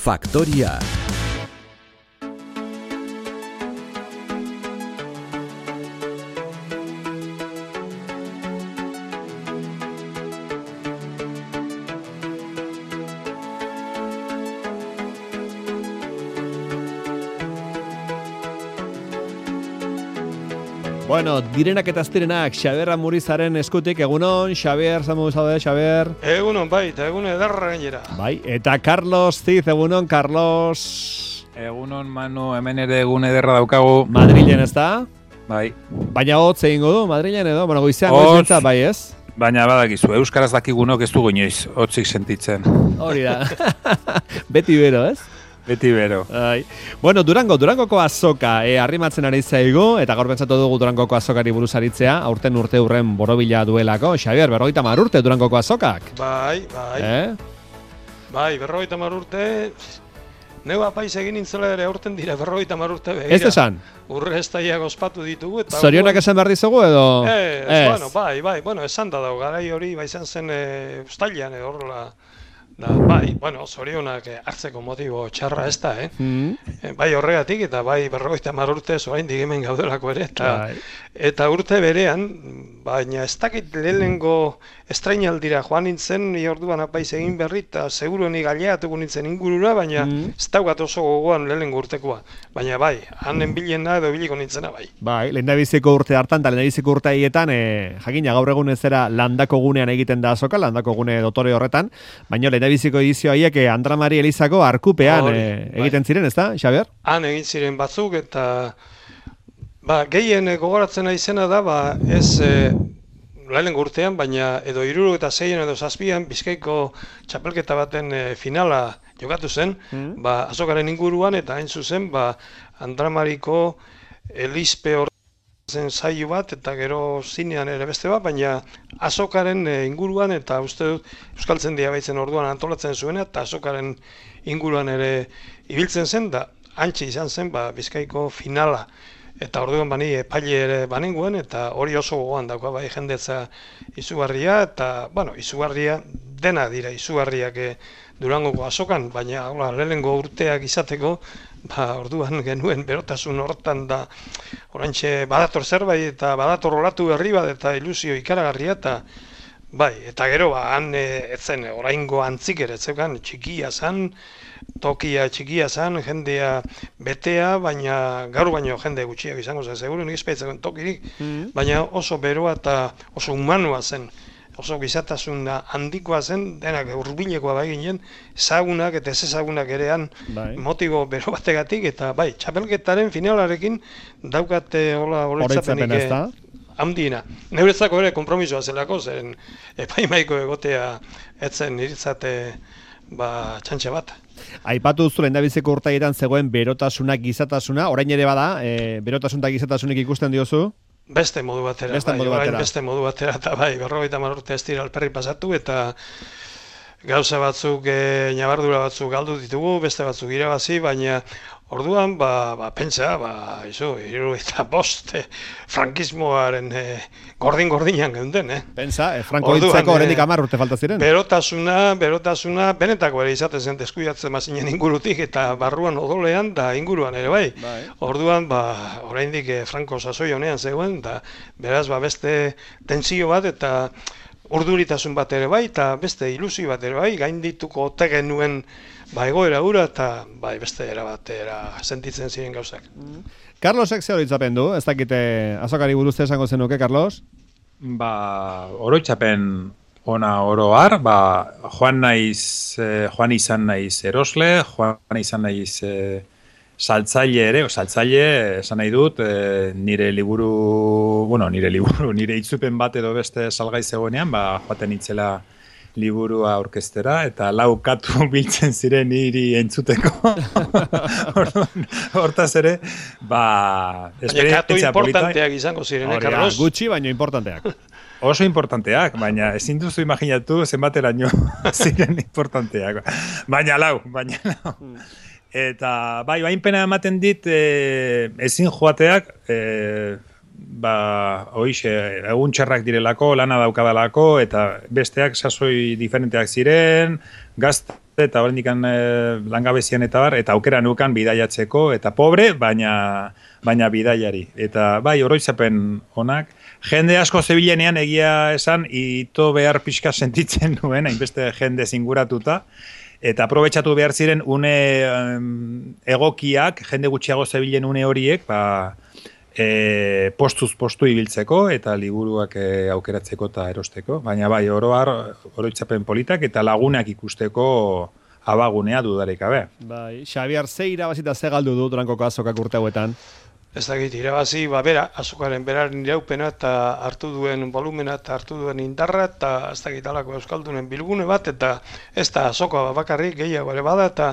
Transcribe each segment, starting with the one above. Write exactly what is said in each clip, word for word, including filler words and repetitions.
Faktoria. Bueno, direnak eta aztirenak, Xabier Amurizaren eskutik, egunon, Xabier, zamu zaude, Xabier? Egunon, bai, eta egun edarra gainera. Bai, eta Carlos Ziz, egunon, Carlos. Egunon, Manu, hemen ere egun ederra daukagu. Madrilen, ez da? Bai. Baina hotz egingo du, Madrilen edo? Bueno, goizean goizentza, bai, ez? Baina badakizu, euskaraz dakigunok ez dugu inoiz, hotzik sentitzen. Hori da. Beti bero, ez? Beti bero. Ai. Bueno, Durango, Durangoko azoka e, arrimatzen ari zaigu, eta gaur pentsatu dugu Durangoko azokari buruz aritzea, aurten urte urren borobila duelako. Xabier, berrogeita hamar urte Durangoko azokak. Bai, bai. Eh? Bai, berrogeita hamar urte, neu apaiz egin nintzela ere aurten dira berrogeita hamar urte begira. Ez esan? Urre estaiak ospatu ditugu. Eta zorionak esan behar dizugu edo? Ez, ez, bueno, bai, bai, bueno, esan da dago, garai hori bai izan zen e, ustailean edo horrela. Da, bai, bueno, zorionak hartzeko motibo txarra ez da, eh? Mm. E, bai horregatik eta bai berrogeita hamar urte oraindik hemen gaudelako ere, eta, eta urte berean, baina ez dakit lehenengo estrainaldira joan nintzen, ni orduan apaiz egin berri, eta seguru ni gaileatuko nintzen ingurura, baina mm. ez daukat oso gogoan lehenengo urtekoa. Baina bai, hanen bilena edo biliko nintzena bai. Bai, lehendabiziko urte hartan, eta lehendabiziko urte haietan, e, jakina gaur egun ez zera landako gunean egiten da azoka, landako gune dotore horretan, baina lehendabiziko edizio haiek Andra Mari Elizako arkupean e, egiten bai. Ziren, ez da, Xabier? Han egin ziren batzuk, eta ba, gehien gogoratzen izena da, ba, ez e, lehenengo urtean, baina edo hiru eta seien edo zazpian Bizkaiko txapelketa baten e, finala jokatu zen, mm. ba, azokaren inguruan, eta hain zuzen, ba, Andra Mariko Elizpe hor zen saio bat, eta gero zinean ere beste bat, baina azokaren e, inguruan, eta uste dut Euskaltzaindia baitzen orduan antolatzen zuena, eta azokaren inguruan ere ibiltzen zen, da antxe izan zen ba, Bizkaiko finala. Eta orduan bani epaile ere banengoen, eta hori oso gogoan dauka bai jendetza izugarria, eta, bueno, izugarria dena dira izugarriak e, Durangoko azokan, baina hola, lehenengo urteak izateko, ba, orduan genuen berotasun hortan da, oraintxe badator zerbait eta badator olatu berri bat eta ilusio ikaragarria, eta bai, eta gero, ba, han e, etzen oraingo antzik ere, zeukan txikia zan, tokia txikia zan, jendea betea, baina gaur baino jende gutxiak izango zen, seguru nik espaitzen tokirik, mm-hmm. baina oso beroa eta oso humanua zen, oso gizatasuna handikoa zen, denak hurbilekoa bai ginen, ezagunak eta ez ezagunak erean bai. Motibo bero bategatik, eta bai, txapelketaren finalarekin daukate hola holetzapenik handiena. Neuretzako ere konpromisoa zelako, zen epaimaiko egotea etzen niritzate ba, txantxe bat. Aipatu duzu lehendabiziko urteetan zegoen berotasuna, gizatasuna, orain ere bada, e, berotasun eta gizatasunik ikusten diozu? Beste modu batera, beste bai, modu batera. Orain beste modu batera, eta bai, berrogeita hamar urte ez dira alperri pasatu, eta gauza batzuk, e, ñabardura batzuk galdu ditugu, beste batzuk irabazi, baina orduan, ba, ba pentsa, ba, izu, hiru eta bost, eh, frankismoaren eh, gordin-gordinan geunden, eh? Pentsa, eh, Franko hiltzeko oraindik hamar urte falta ziren. Berotasuna, berotasuna, benetako ere izaten zen deskuidatzen mazinen ingurutik, eta barruan odolean, da inguruan ere bai. bai. Orduan, ba, oraindik eh, Franko sasoi honean zegoen, da beraz, ba, beste tentsio bat, eta urduritasun bat ere bai, eta beste ilusio bat ere bai, gaindituko ote genuen ba egoera ura, eta bai beste era batera sentitzen ziren gauzak. Mm. Carlosek ze oroitzapen du? Ez dakite azokari buruz esango zenuke, Carlos? Ba, oroitzapen ona oroar, ba, joan naiz, eh, joan izan naiz erosle, joan izan naiz eh, saltzaile ere, o saltzaile, esan nahi dut, e, nire liburu, bueno, nire liburu, nire itzupen bat edo beste salgai zegoenean, ba, joaten itzela liburua orkestera, eta lau katu biltzen ziren niri entzuteko. Hortaz ere, ba, katu importanteak izango ziren, eh, Carlos? Gutxi, baino importanteak. Oso importanteak, baina ezin duzu imaginatu zenbateraino ziren importanteak. Baina lau, baina lau. Eta bai, bain pena ematen dit e, ezin joateak, e, ba, hoixe, egun txarrak direlako, lana daukadalako, eta besteak sasoi diferenteak ziren, gazte eta horrendik e, langabezian eta bar, eta aukera nukan bidaiatzeko, eta pobre, baina, baina bidaiari. Eta bai, oroitzapen onak, jende asko zebilenean egia esan, ito behar pixka sentitzen nuen, hainbeste jende zinguratuta, eta aprobetxatu behar ziren une um, egokiak, jende gutxiago zebilen une horiek, ba, e, postuz postu ibiltzeko, eta liburuak e, aukeratzeko eta erosteko. Baina bai, oroar, oroitzapen politak, eta lagunak ikusteko abagunea dudarik gabe. Bai, Xabier, ze irabazita ze galdu du Durangoko azokak urte hauetan? Ez dakit, irabazi, ba, bera, azokaren beraren iraupena eta hartu duen volumena eta hartu duen indarra eta ez dakit alako euskaldunen bilgune bat eta ez da azoka bakarrik gehiago ere bada eta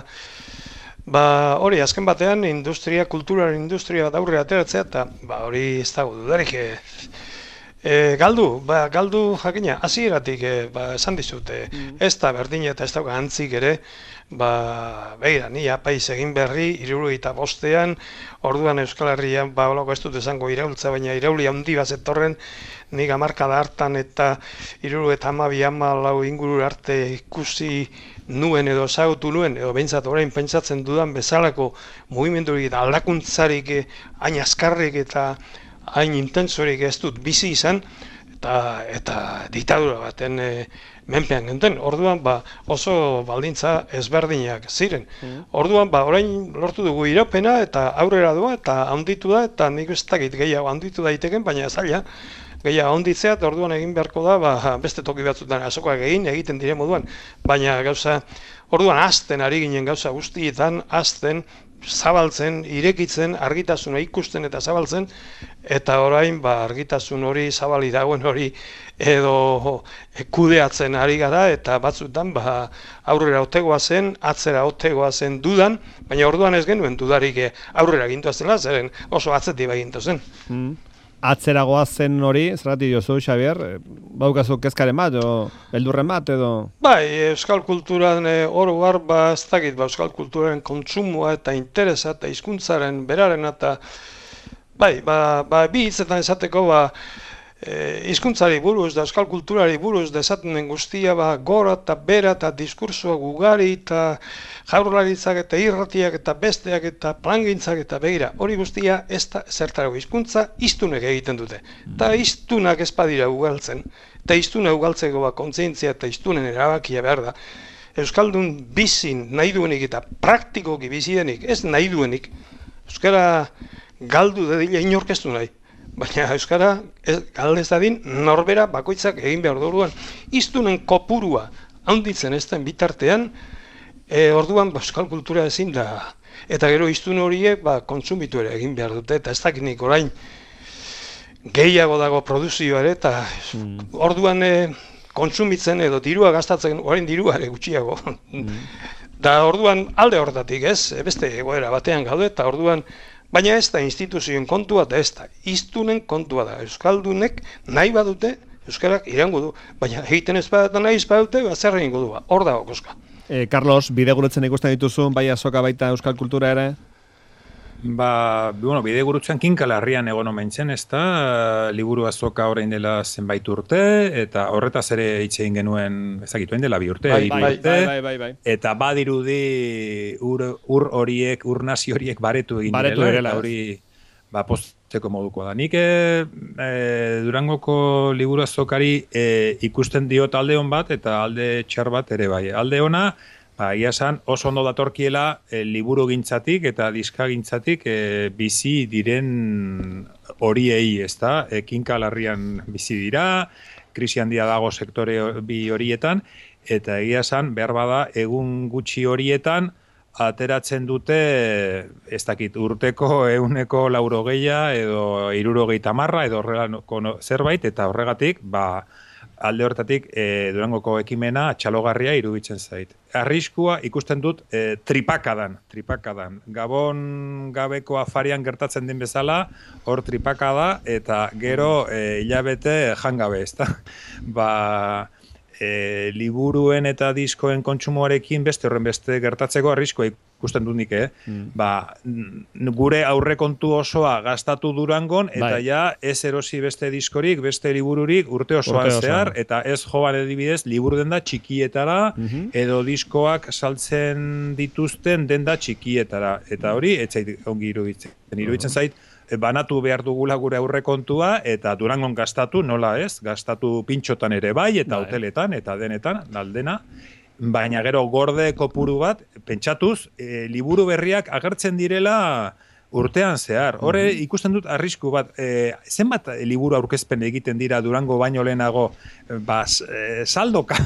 ba, hori, azken batean industria, kulturaren industria bat aurre ateratzea eta ba, hori ez dago dudarik e, e, galdu, ba, galdu jakina, hasieratik e, ba, esan dizute, mm. ez da berdin eta ez dago antzik ere, ba, begira, ni apaiz egin berri, hirurogeita bostean, orduan Euskal Herrian, ba, olako ez dut esango iraultza, baina irauli handi bat zetorren, nik hamarkada hartan eta hirurogeita hamabi hamalau inguru arte ikusi nuen edo ezagutu nuen, edo behintzat orain pentsatzen dudan bezalako mugimendurik eta aldakuntzarik hain azkarrik eta hain intensorik ez dut bizi izan, eta, eta diktadura baten e, menpean genten. Orduan ba, oso baldintza ezberdinak ziren. Mm. Orduan ba, orain lortu dugu iraupena eta aurrera doa eta handitu da eta nik ez dakit gehiago handitu daiteken, baina zaila gehiago handitzea eta orduan egin beharko da ba, beste toki batzutan azokoak egin egiten dire moduan, baina gauza orduan hasten ari ginen gauza guztietan hasten zabaltzen, irekitzen, argitasuna ikusten eta zabaltzen, eta orain ba, argitasun hori zabali dagoen hori edo kudeatzen ari gara, eta batzutan ba, aurrera otegoa zen, atzera otegoa zen dudan, baina orduan ez genuen dudarik aurrera gintua zela, zeren oso atzetik gintu zen. Mm. Atzeragoa zen hori, zergatik diozu, Xabier, baukazu kezkaren bat, o beldurren bat, edo? Bai, euskal kulturan e, oro gar, ba, ez dakit, ba, euskal kulturaren kontsumoa eta interesa eta hizkuntzaren beraren eta, bai, ba, ba, bi hitzetan esateko, ba, e, hizkuntzari buruz, da euskal kulturari buruz, da esaten den guztia, ba, gora eta bera eta diskursoa gugari eta jaurlaritzak eta irratiak eta besteak eta plangintzak eta begira. Hori guztia ez da zertarago hizkuntza hiztunek egiten dute. Eta hiztunak ez badira ugaltzen. Eta hiztuna ugaltzeko ba, kontzientzia eta hiztunen erabakia behar da. Euskaldun bizin nahi duenik eta praktikoki bizidenik ez nahi duenik. Euskara galdu dedila inorkestu nahi. Baina euskara galdez dadin norbera bakoitzak egin behar duruan. Hiztunen kopurua handitzen ez den bitartean, E, orduan ba, euskal kultura ezin da, eta gero hiztun horiek ba, kontsumitu ere egin behar dute, eta ez dakinik orain gehiago dago produzioa ere, eta mm. orduan e, kontsumitzen edo dirua gastatzen, orain dirua ere gutxiago. Mm. Da orduan alde horretatik ez, beste egoera batean gaude, eta orduan, baina ez da instituzioen kontua, da ez da hiztunen kontua da, euskaldunek nahi badute, euskarak irango du, baina egiten ez badata nahi ez badute, zer egingo du, hor dago koska. E, Carlos, bidegurutzen ikusten dituzun, bai azoka baita euskal kultura ere? Ba, bueno, bidegurutzen kinkalarrian egon omen zen, ez da, liburu azoka orain dela zenbait urte, eta horretaz ere hitz egin genuen, ezagitu egin dela bi urte, bai, bai, bai, urte, bai, bai, bai. Eta badirudi ur, ur horiek, ur nazi horiek baretu egin baretu direla, eta hori ba, postzeko moduko da. Nik e, e, Durangoko liburu azokari e, ikusten dio alde hon bat, eta alde txar bat ere bai. Alde ona, ba, ia esan, oso ondo datorkiela e, liburu gintzatik eta diska gintzatik e, bizi diren horiei, ez da? E, kinkalarrian bizi dira, krisi handia dago sektore bi horietan, eta egia esan, behar bada, egun gutxi horietan, ateratzen dute, ez dakit, urteko ehuneko laurogeia edo hirurogeita hamarra edo horrelako zerbait, eta horregatik, ba, alde hortatik e, Durangoko ekimena txalogarria iruditzen zait. Arriskua ikusten dut e, tripakadan, tripakadan. Gabon gabeko afarian gertatzen den bezala, hor tripakada, eta gero e, hilabete jangabe, ezta? Ba, e, liburuen eta diskoen kontsumoarekin beste horren beste gertatzeko arriskua ikusten dut nik, eh? Mm. Ba, gure aurrekontu osoa gastatu Durangon, eta bai. Ja ez erosi beste diskorik, beste libururik urte osoan urte zehar, eta ez joan adibidez liburu denda txikietara, mm-hmm. edo diskoak saltzen dituzten denda txikietara. Eta hori, ez zait ongi iruditzen. Iruditzen zait, banatu behar dugula gure aurrekontua, eta Durangon gastatu, nola ez? Gastatu pintxotan ere bai, eta bai. Hoteletan, eta denetan, aldena. Baina gero gorde kopuru bat, pentsatuz, e, liburu berriak agertzen direla urtean zehar. Horre ikusten dut arrisku bat, e, zenbat liburu aurkezpen egiten dira Durango baino lehenago, bas, e, saldoka.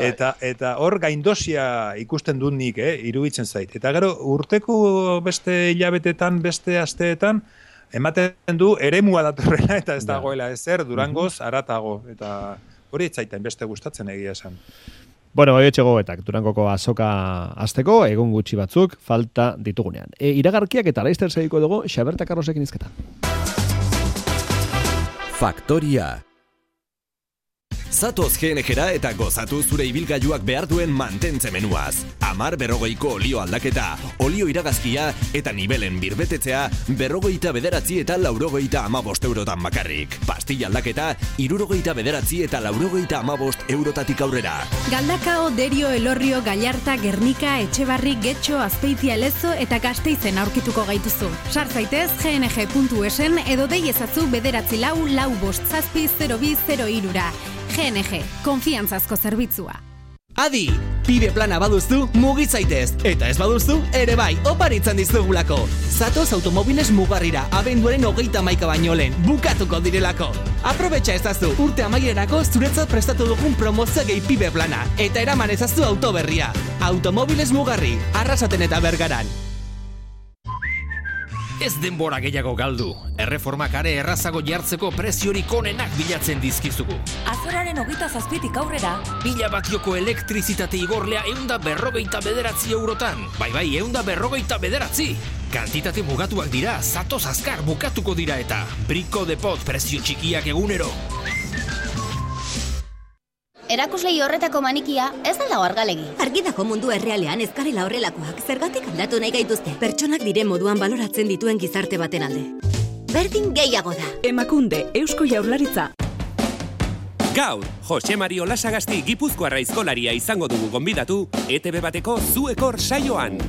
eta eta hor gaindosia ikusten dut nik, eh, iruditzen zait. Eta gero urteko beste hilabetetan, beste asteetan, ematen du eremua datorrela eta ez dagoela ezer Durangoz aratago. Eta hori ez zaitan beste gustatzen egia esan. Bueno, bai etxegoetak, Durangoko azoka azteko, egun gutxi batzuk, falta ditugunean. E, iragarkiak eta laizter segiko dugu, Xaberta Carlosekin izketan. Faktoria. Zatoz G N G-ra eta gozatu zure ibilgailuak behar duen mantentze menuaz. Amar berrogeiko olio aldaketa, olio iragazkia eta nibelen birbetetzea berrogeita bederatzi eta laurogeita amabost eurotan bakarrik. Pastilla aldaketa, irurogeita bederatzi eta laurogeita amabost eurotatik aurrera. Galdakao, Derio, Elorrio, Gallarta, Gernika, Etxebarri, Getxo, Azpeitia, Lezo eta Gasteizen aurkituko gaituzu. Sar zaitez G N G puntu esen edo dei ezazu bederatzi lau lau bost zazpi zero bi zero hirura. G N G, konfiantzazko zerbitzua. Adi, pibe plana baduztu, mugi zaitez. Eta ez baduztu, ere bai, oparitzen dizugulako. Zatoz automobiles mugarrira, abenduaren hogeita hamaika baino lehen, bukatuko direlako. Aprobetxa ezazu, urte amaierarako zuretzat prestatu dugun promozio gehi pibe plana. Eta eraman ezazu autoberria. Automobiles mugarri, Arrasaten eta Bergaran. Ez denbora gehiago galdu. Erreformak are errazago jartzeko preziorik onenak bilatzen dizkizugu. Azoraren hogeita zazpitik aurrera. Mila batioko elektrizitate igorlea eunda berrogeita bederatzi eurotan. Bai bai, eunda berrogeita bederatzi. Kantitate mugatuak dira, zatoz azkar bukatuko dira eta. Briko depot prezio txikiak egunero. Erakuslei horretako manikia ez da argalegi. Argidako mundu errealean ez garela horrelakoak zergatik aldatu nahi gaituzte. Pertsonak diren moduan baloratzen dituen gizarte baten alde. Berdin gehiago da. Emakunde, Eusko Jaurlaritza. Gaur, Jose Mari Olasagasti Gipuzkoarra aizkolaria izango dugu gonbidatu E T B bateko Zuekor saioan.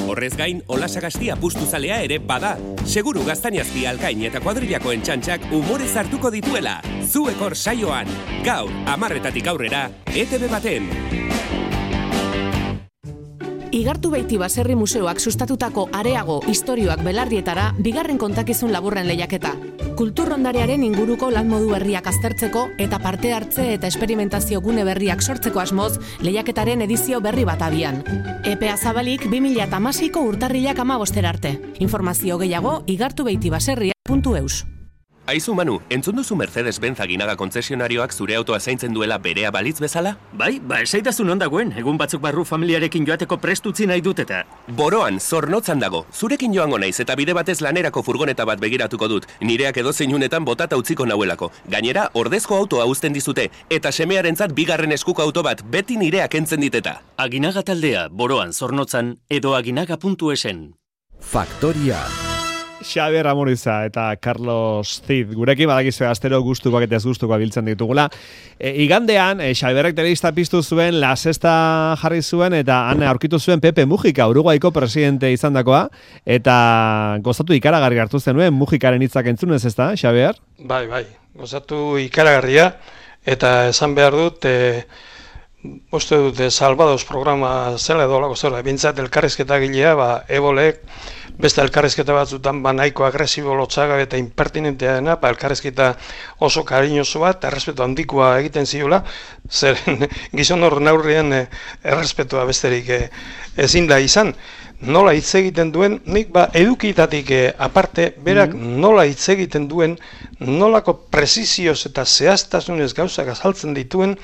Horrez gain, Olasagasti apustuzalea ere bada. Seguru Gaztañazpi Alkain eta kuadrillakoen txantxak umorez hartuko dituela. Zuekor saioan. Gaur, hamarretatik aurrera, E T B baten. Igartu Beiti Baserri Museoak sustatutako areago istorioak belardietara bigarren kontakizun laburren lehiaketa. Kulturrondarearen inguruko lan modu berriak aztertzeko eta parte hartze eta esperimentazio gune berriak sortzeko asmoz lehiaketaren edizio berri bat abian. Epea zabalik bi mila hamaseiko urtarrilak hamabostera arte. Informazio gehiago igartubeitibaserria puntu eus. Aizu Manu, entzun duzu Mercedes-Benz Aginaga kontzesionarioak zure autoa zaintzen duela berea balitz bezala? Bai, ba esaitazun ondagoen, egun batzuk barru familiarekin joateko prestutzi nahi dut eta. Boroan, Zornotzan dago, zurekin joango naiz eta bide batez lanerako furgoneta bat begiratuko dut, nireak edozein unetan botata utziko nauelako. Gainera, ordezko autoa uzten dizute, eta semearentzat bigarren eskuko auto bat beti nireak entzen diteta. Aginaga taldea, Boroan, Zornotzan, edo aginaga puntu esen. Faktoria. Xabier Amuriza eta Carlos Cid. Gurekin badakizue astero gustukoak eta ez gustukoak biltzen ditugula. E, igandean, e, Xabierrek telebista piztu zuen, La Sexta jarri zuen, eta han aurkitu zuen Pepe Mujika, Uruguaiko presidente izandakoa, eta gozatu ikaragarri hartu zenuen Mujikaren hitzak entzunez, ez da, Xabier? Bai, bai, gozatu ikaragarria, eta esan behar dut, e, uste dut, Salvados programa zela edo lako zela, bintzat elkarrizketa gilea, ba, ebolek, beste elkarrizketa batzutan ba nahiko agresibo lotzaga eta impertinentea dena, ba elkarrizketa oso kariñoso bat, errespetu handikoa egiten ziola, zeren gizon hor neurrien errespetua besterik ezin da izan. Nola hitz egiten duen, nik ba edukitatik aparte, berak nola hitz egiten duen, nolako presizioz eta zehaztasunez gauzak azaltzen dituen,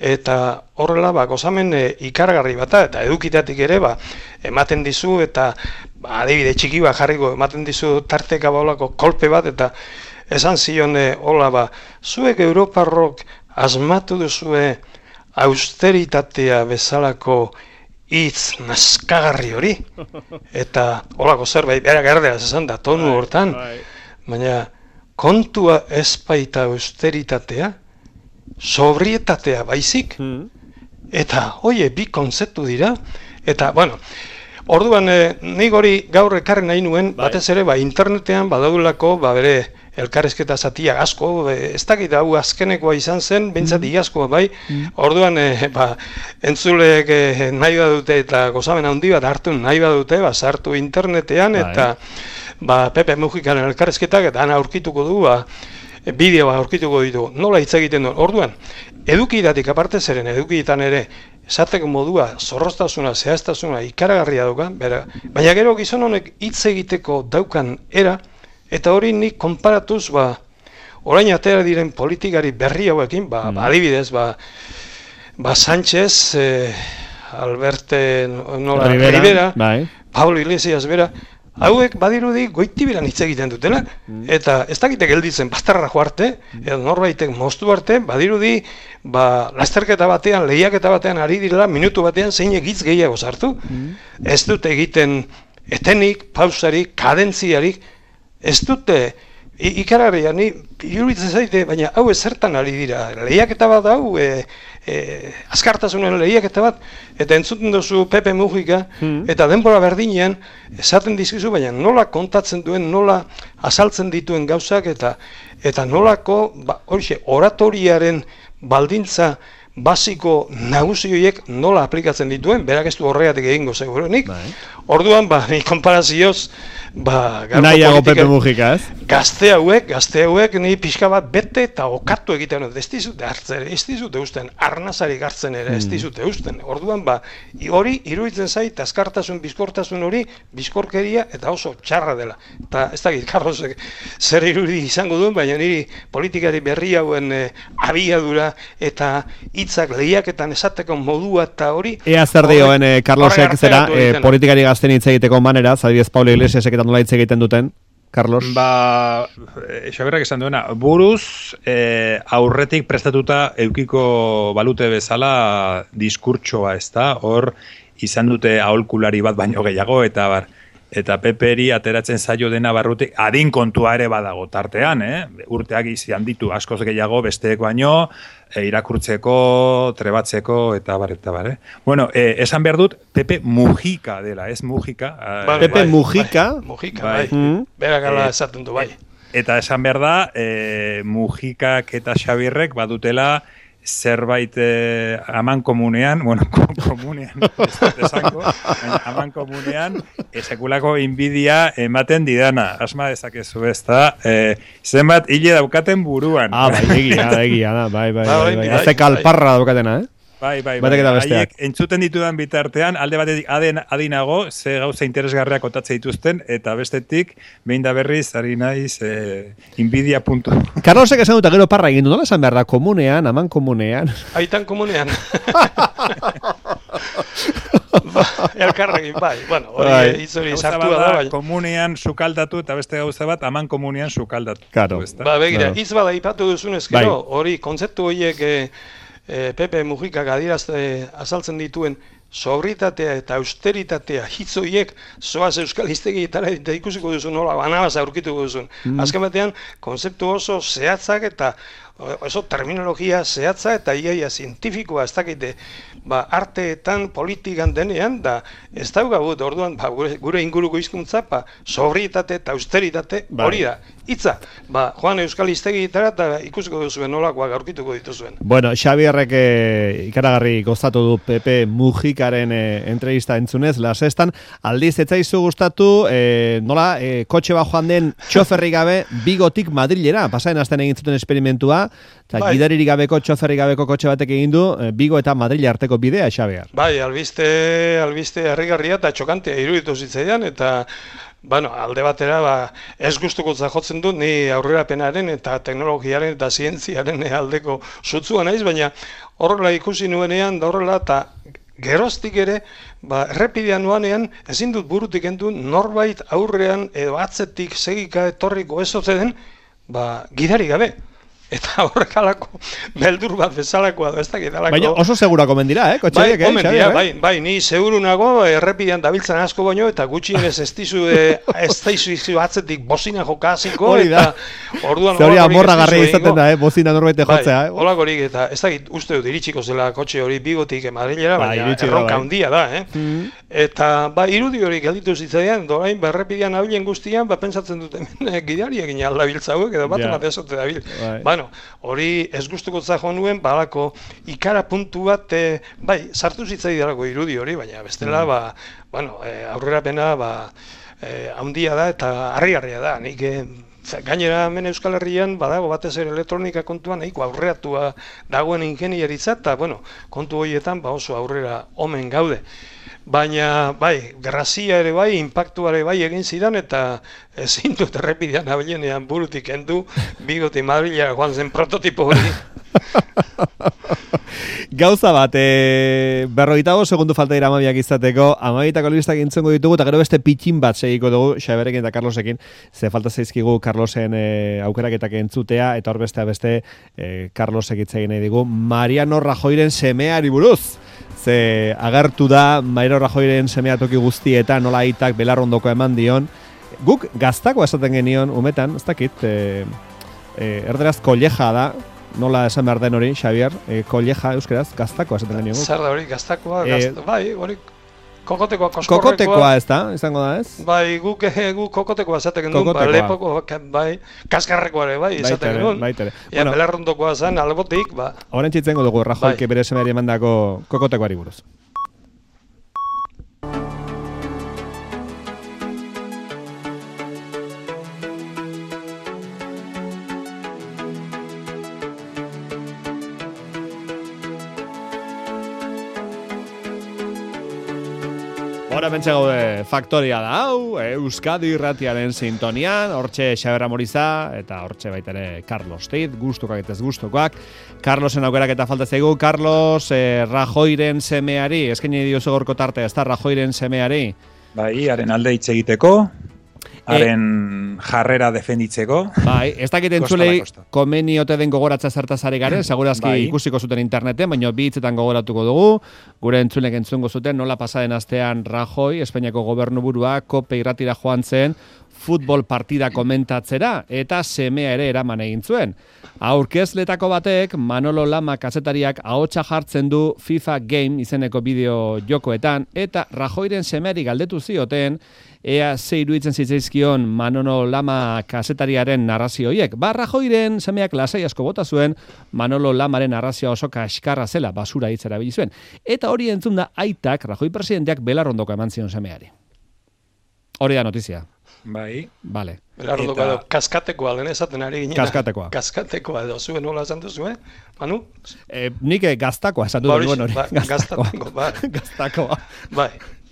eta horrela ba gozamen ikaragarri bata, eta edukitatik ere ba ematen dizu, eta ba, adibide txiki bat jarriko ematen dizu tarteka baulako kolpe bat, eta esan zion hola ba, zuek Europarrok asmatu duzue austeritatea bezalako hitz naskagarri hori, eta holako zerbait, bera gerdeaz esan da, tonu hortan, baina kontua ez baita austeritatea, sobrietatea baizik, eta, oie, bi konzeptu dira, eta, bueno, orduan, eh, nik hori gaur ekarri nahi nuen, batez ere, ba, internetean badaulako, ba, bere, elkarrezketa zatia asko, e, ez dakit hau azkenekoa izan zen, bintzat iazkoa bai, orduan, e, ba, entzuleek e, nahi badute eta gozamen handi bat hartu nahi badute, ba, sartu internetean, eta ba, Pepe Mujikaren elkarrezketak, eta ana aurkituko du, ba, bideoa aurkituko ditu, nola hitz egiten duen, orduan, edukidatik aparte zeren, edukitan ere, esateko modua, zorroztasuna, zehaztasuna, ikaragarria dauka, bera, baina gero gizon honek hitz egiteko daukan era, eta hori nik konparatuz, ba, orain atera diren politikari berri hauekin, ba, mm. adibidez, ba, ba Sánchez, eh, Alberte nola, Rivera, Rivera bai. Pablo Iglesias bera, hauek badirudi goitibiran hitz egiten dutela, mm. eta ez dakite gelditzen bastarra joarte, mm. edo norbaitek moztu arte, badirudi, ba, lasterketa batean, lehiaketa batean ari direla, minutu batean zeinek hitz gehiago sartu, mm. ez dute egiten etenik, pausarik, kadentziarik, ez dute, ikaragarria, ni iruditzen zaite, baina hau ezertan ari dira, lehiaketa bat hau, e, e, azkartasunen lehiaketa bat, eta entzuten duzu Pepe Mujika, hmm. eta denbora berdinean, esaten dizkizu, baina nola kontatzen duen, nola azaltzen dituen gauzak, eta eta nolako, ba, horixe, oratoriaren baldintza basiko naguzioiek nola aplikatzen dituen, berak ez du horregatik egingo seguruenik. Orduan, ba, ni konparazioz, ba, nahiago Pepe Mujika, ez? Gazte hauek, gazte hauek, ni pixka bat bete eta okatu egiten dut, ez dizute hartzen, ez dizute usten, arnazarik hartzen ere, ez dizute usten. Orduan, ba, hori, iruditzen zait, azkartasun, bizkortasun hori, bizkorkeria eta oso txarra dela. Eta, ez dakit, Carlosek zer irudi izango duen, baina niri politikari berri hauen eh, abiadura eta hitzak lehiaketan esateko modua eta hori... Ea zer dioen, eh, Carlosek zera, eh, politikari gazten hitz egiteko manera, zadibidez Pablo Iglesiasek eta nola hitz egiten duten, Carlos? Ba, Xaberrak esan duena, buruz eh, aurretik prestatuta eukiko balute bezala diskurtsoa, ez da, hor izan dute aholkulari bat baino gehiago, eta bar, eta Peperi ateratzen zaio dena barrutik, adin kontua ere badago tartean, eh? Urteak izan ditu askoz gehiago besteek baino, e, irakurtzeko, trebatzeko, eta bar, eta bar, eh? Bueno, eh, esan behar dut, Pepe Mujika dela, ez Mujika. Bai, Pepe bai, Mujika? Bai, Mujika, bai. bai. Mm. Berakala eh, esaten du, bai. Eta esan behar da, eh, Mujikak eta Xabirrek badutela, zerbait eh, aman komunean, bueno, komunean, ez dut esango, aman komunean, esekulako inbidia ematen didana, asma dezakezu ez da, eh, zenbat hile daukaten buruan. Ah, bai, egia, egia, bai, bai, bai, bai, haze kalparra daukatena, eh? Bai, bai, bai, haiek entzuten ditudan bitartean, alde batetik aden, adinago, ze gauza interesgarriak kotatze dituzten, eta bestetik, behin da berriz, ari naiz, eh, inbidia puntu. Carlosek esan dut, gero parra egin du, nola esan behar da, komunean, aman komunean? Aitan komunean. Ba, elkarrekin, bai, bueno, hori izori sartua da, bai. Komunean sukaldatu, eta beste gauza bat, aman komunean sukaldatu. Claro. Ba, begira, hitz bada ipatu duzunez, gero, hori kontzeptu horiek, E, Pepe Mujikak adierazte azaltzen dituen sobritatea eta austeritatea hitzoiek zoaz euskal hiztegietara eta ikusiko duzu nola banabaz aurkituko duzun. Mm. Azken batean, konzeptu oso zehatzak eta oso terminologia zehatza eta iaia zientifikoa ez dakite ba, arteetan, politikan denean, da ez daugagut, orduan ba, gure, gure inguruko hizkuntza ba, sobrietate eta austeritate hori da. Itza, ba, joan euskal hiztegietara eta ikusiko duzuen nolakoak aurkituko dituzuen. Bueno, Xabierrek eh, ikaragarri gozatu du Pepe Mujikaren eh, entrevista entzunez, lasestan, aldiz etzaizu gustatu, eh, nola, eh, kotxe bat joan den txoferri gabe Bigotik Madrilera, pasaen astean egin zuten esperimentua, eta bai. Gidaririk gabeko, txoferri gabeko kotxe batek egin du, eh, Bigo eta Madril arteko bidea, Xabier. Bai, albiste, albiste harrigarria eta txokantea iruditu zitzaidan, eta bueno, alde batera, ba, ez guztukotza jotzen dut, ni aurrerapenaren eta teknologiaren eta zientziaren aldeko sutzua naiz, baina horrela ikusi nuenean, da horrela, eta geroztik ere, ba, errepidean nuanean, ezin dut burutik endu, norbait aurrean edo atzetik segika etorriko ez ote den, ba, gidari gabe. eta horrekalako beldur bat bezalakoa da, ez dakit alako. Baina oso segura komen dira, eh, kotxeak, bai, eh, omen dira, bai, bai, ni seguru nago errepidean dabiltzan asko baino, eta gutxienez ez dizu, ez daizu atzetik bozina jokaziko, eta orduan hori amorragarria izaten da, eh, bozina norbaite jotzea, eh. Holakorik, eta ez dakit uste dut iritsiko zela kotxe hori Bigotik Madrilera, baina erronka handia da, eh. Eta, ba, irudi hori gelditu zitzaidan, dorain, berrepidean abilen guztian, ba, pentsatzen dut hemen gidariak aldabiltza hauek, edo bat bat ezote dabil. Bueno, hori ez gustuko zago nuen, balako ikara puntu bat, e, bai, sartu zitzaidarako irudi hori, baina bestela, ba, bueno, e, aurrerapena, ba, e, handia da eta harri-harria da, nik, e, gainera hemen Euskal Herrian badago batez ere elektronika kontuan nahiko aurreratua dagoen ingenieritza, eta, bueno, kontu horietan, ba, oso aurrera omen gaude. Baina, bai, grazia ere bai, impactua ere bai egin zidan, eta ezin dut errepidean abilenean burutik endu, Bigotik Madrilera joan zen prototipo hori. Gauza bat, e, berrogeitago segundu falta dira amabiak izateko, amabitako albistak entzongo ditugu, eta gero beste pitxin bat segiko dugu, Xaberekin eta Carlosekin, ze falta zaizkigu Carlosen e, aukeraketak entzutea, eta hor beste beste e, Carlosek itzegin nahi digu, Mariano Rajoyren semeari buruz. Ze agertu da Mariano Rajoyren semea toki guztietan nola aitak belarrondoko eman dion. Guk gaztakoa esaten genion umetan, ez dakit, e, e, erderaz kolleja da, nola esan behar den hori, Xavier, e, kolleja euskeraz, gaztakoa esaten genion. Zer da hori, gaztakoa, e, gazta, bai, hori kokotekoa, koskorrekoa. Kokotekoa ez da, izango da ez? Bai, guk, gu kokotekoa esaten genuen, ba, lepoko, bai, kaskarrekoa ere, bai, esaten genuen. Baitere, ja, bueno, belarrondokoa zen, albotik, ba. Horren txitzengo dugu, Rajoyke bai. Bere semeari emandako kokotekoari buruz. Hora pentsa gaude faktoria da hau, Euskadi irratiaren sintonian, hortxe Xaber Amoriza, eta hortxe baita ere Carlos Teit, gustukoak eta ez gustukoak. Carlosen aukerak eta falta zaigu, Carlos eh, Rajoyren semeari, eskaini diozu gorko tarte, ez da Rajoyren semeari? Bai, haren alde hitz egiteko, haren e, jarrera defenditzeko. Bai, ez dakit entzulei komeni ote den gogoratza zertazari garen, segurazki bai. Ikusiko zuten interneten, baina bi hitzetan gogoratuko dugu, gure entzulek entzungo zuten, nola pasaden astean Rajoy, Espainiako gobernuburua, kope irratira joan zen, futbol partida komentatzera, eta semea ere eraman egin zuen. Aurkezletako batek, Manolo Lama kazetariak ahotsa jartzen du FIFA Game izeneko bideo jokoetan, eta Rajoyren semeari galdetu zioten, ea ze iruditzen zitzaizkion Manolo Lama kazetariaren narrazioiek. Ba, Rajoyren semeak lasai asko bota zuen, Manolo Lamaren narrazioa oso kaskarra zela, basura hitz erabili zuen. Eta hori entzun da aitak, Rajoy presidenteak belarrondoko eman zion semeari. Hori da notizia. Bai. Vale. Belarrondoko edo kaskatekoa lehen esaten ari ginen. Kaskatekoa. Kaskatekoa edo zuen nola esan duzu, eh? Manu? Eh, nik gaztakoa esan dut nuen hori. Ba, gaztatekoa. Ba. Gaztakoa. Bai.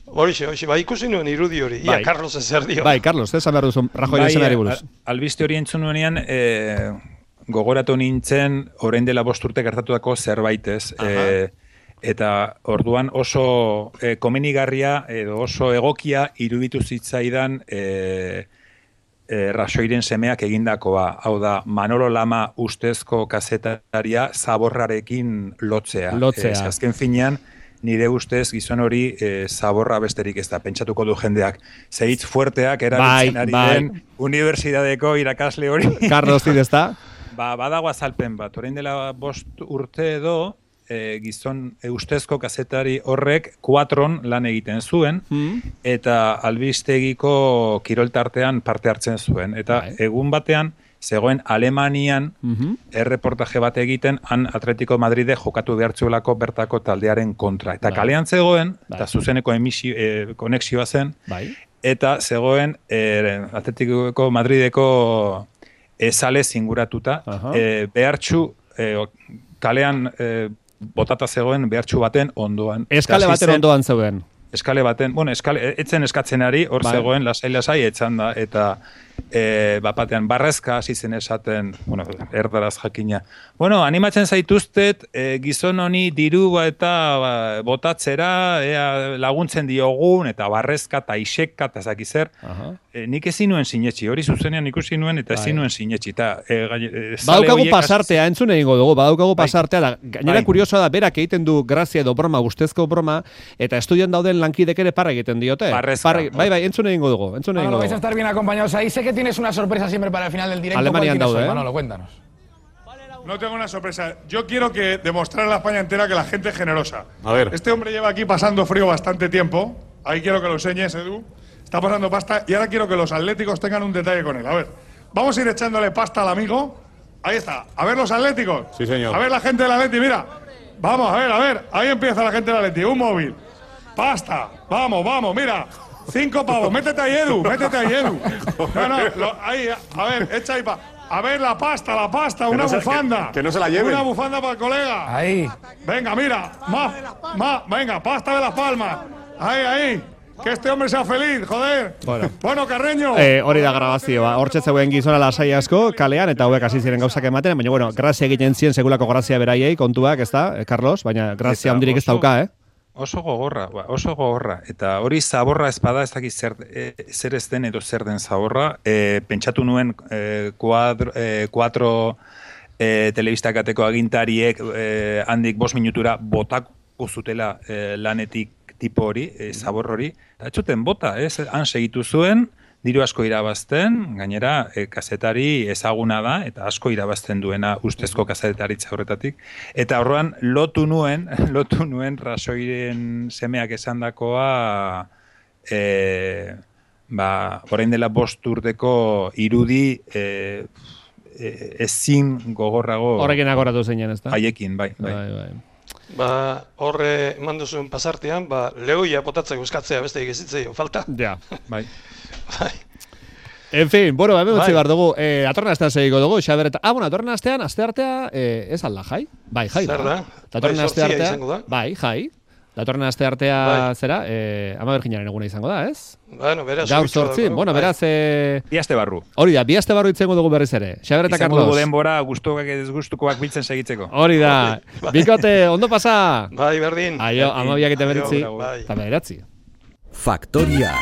Horixe, horixe, bai ikusi nuen irudi hori, ia, bai. Carlos ezer dio. Bai, Carlos, ez behar duzu Rajoyren semeari buruz. Albiste hori entzun nuenean, e, gogoratu nintzen, orain dela bost urte gertatutako zerbaitez, e, eta orduan oso e, komenigarria edo oso egokia iruditu zitzaidan e, e, Rajoyren semeak egindakoa. Hau da, Manolo Lama ustezko kazetaria zaborrarekin lotzea. Lotzea. E, azken finean, nire ustez gizon hori e, zaborra besterik ez da, pentsatuko du jendeak. Zehitz fuerteak erabiltzen bai, ari bai. Den unibertsitateko irakasle hori. Carlos Teit ez da? Ba, badago azalpen bat, orain dela bost urte edo, e, gizon e, ustezko kazetari horrek kuatron lan egiten zuen, mm. eta albistegiko kiroltartean parte hartzen zuen. Eta bai. Egun batean, zegoen Alemanian mm-hmm. erreportaje bat egiten, han Atletico Madride jokatu behartzuelako bertako taldearen kontra. Eta bai. Kalean zegoen, bai. Eta zuzeneko emisio, e, konexioa zen, bai. Eta zegoen e, Atletico Madrideko ezale zinguratuta, uh-huh. e, behartxu, e, kalean e, botata zegoen behartxu baten ondoan. Eskale baten zen, ondoan zegoen. Eskale baten, bueno, eskale, etzen eskatzenari, hor bai. Zegoen lasai-lasai etzan da, eta e, bapatean barrezka hasi zen esaten, bueno, erdaraz jakina. Bueno, animatzen zaituztet e, gizon honi diru eta ba, botatzera ea, laguntzen diogun, eta barrezka, eta iseka, eta zaki zer. E, nik ezin nuen sinetxi, hori zuzenean ikusi nuen, eta ezin nuen sinetxi. Eta, e, e, badaukagu pasartea, entzun egingo dugu, badaukagu pasartea, da, gainera kuriosoa da, berak egiten du grazia edo broma, ustezko broma, eta estudian dauden lankidek ere parra egiten diote. Barrezka. Parra, bai, bai, entzun egingo dugu, entzun egingo Manolo, dugu. vais a estar bien acompañados ahí. Sé que tienes una sorpresa siempre para el final del directo. Alemanian daude, eh? Manolo, cuéntanos. No tengo una sorpresa. Yo quiero que demostrar a la España entera que la gente es generosa. A ver. Este hombre lleva aquí pasando frío bastante tiempo. Ahí quiero que lo enseñes, Edu. Está pasando pasta y ahora quiero que los atléticos tengan un detalle con él. A ver, vamos a ir echándole pasta al amigo. Ahí está. A ver los atléticos. Sí, señor. A ver la gente del Atleti, mira. Vamos, a ver, a ver. Ahí empieza la gente del Atleti. Un móvil. Pasta. Vamos, vamos, mira. Cinco pavos. Métete ahí, Edu. Métete ahí, Edu. No, no. Lo, ahí, a ver, echa ahí pa. A ver la pasta, la pasta, que una no se, bufanda. Que, que no se la lleven. Una bufanda para el colega. Ahí. Venga, mira. Más, más. Venga, pasta de las palmas. Ahí, ahí. Que este hombre sea feliz, joder. Bueno, bueno Carreño. Eh, hori da grabazioa. Hortxe zegoen gizona lasai asko, kalean, eta hauek hasi ziren gauzak ematen, baina, bueno, grazia egiten zien segulako grazia beraiei, kontuak, ez da, Carlos? Baina grazia handirik ez dauka, eh? Oso gogorra, ba, oso gogorra. Eta hori zaborra espada ez dakit zer, e, zer ez den edo zer den zaborra. E, pentsatu nuen e, kuadro, e, kuatro e, telebistakateko agintariek e, handik bost minutura botako zutela e, lanetik tipo hori, e, zabor hori. Eta etxuten bota, ez? Han segitu zuen, diru asko irabazten, gainera e, kazetari ezaguna da, eta asko irabazten duena ustezko kazetaritza horretatik. Eta horrean lotu nuen, lotu nuen Rasoiren semeak esandakoa, e, ba, orain dela bost urteko irudi e, e, ezin gogorrago. Horrekin agoratu zeinen, ez da? Haiekin, bai, bai. bai, bai. Ba, horre eman duzuen pasartean, ba, lehoia botatzeko eskatzea beste egizitzeo, falta? Ja, bai. Bai. En fin, bueno, hemen utzi Bai. behar dugu, eh, atorren astean segiko dugu, Xaber eta... Ah, bueno, atorren astean, aste artea, eh, ez alda, jai? Bai, jai. Zer da? Datorren Bai, aste zortzia artea, izango da. bai, jai. Datorren aste artea, Bai. zera, eh, ama berginaren eguna izango da, ez? Bueno, beraz... Gaur oitxo zortzi, daukagu, bueno, bai. beraz... Eh, Bi aste barru. hori da, bi aste barru itzengo dugu berriz ere. Xaber eta Izango Carlos. dugu denbora gustukoak ez gustukoak biltzen segitzeko. Hori da. Bai. Bikote, ondo pasa? Bai, berdin. Aio, ama biak eta Aio, beritzi. bai. Eta beratzi. Faktoria.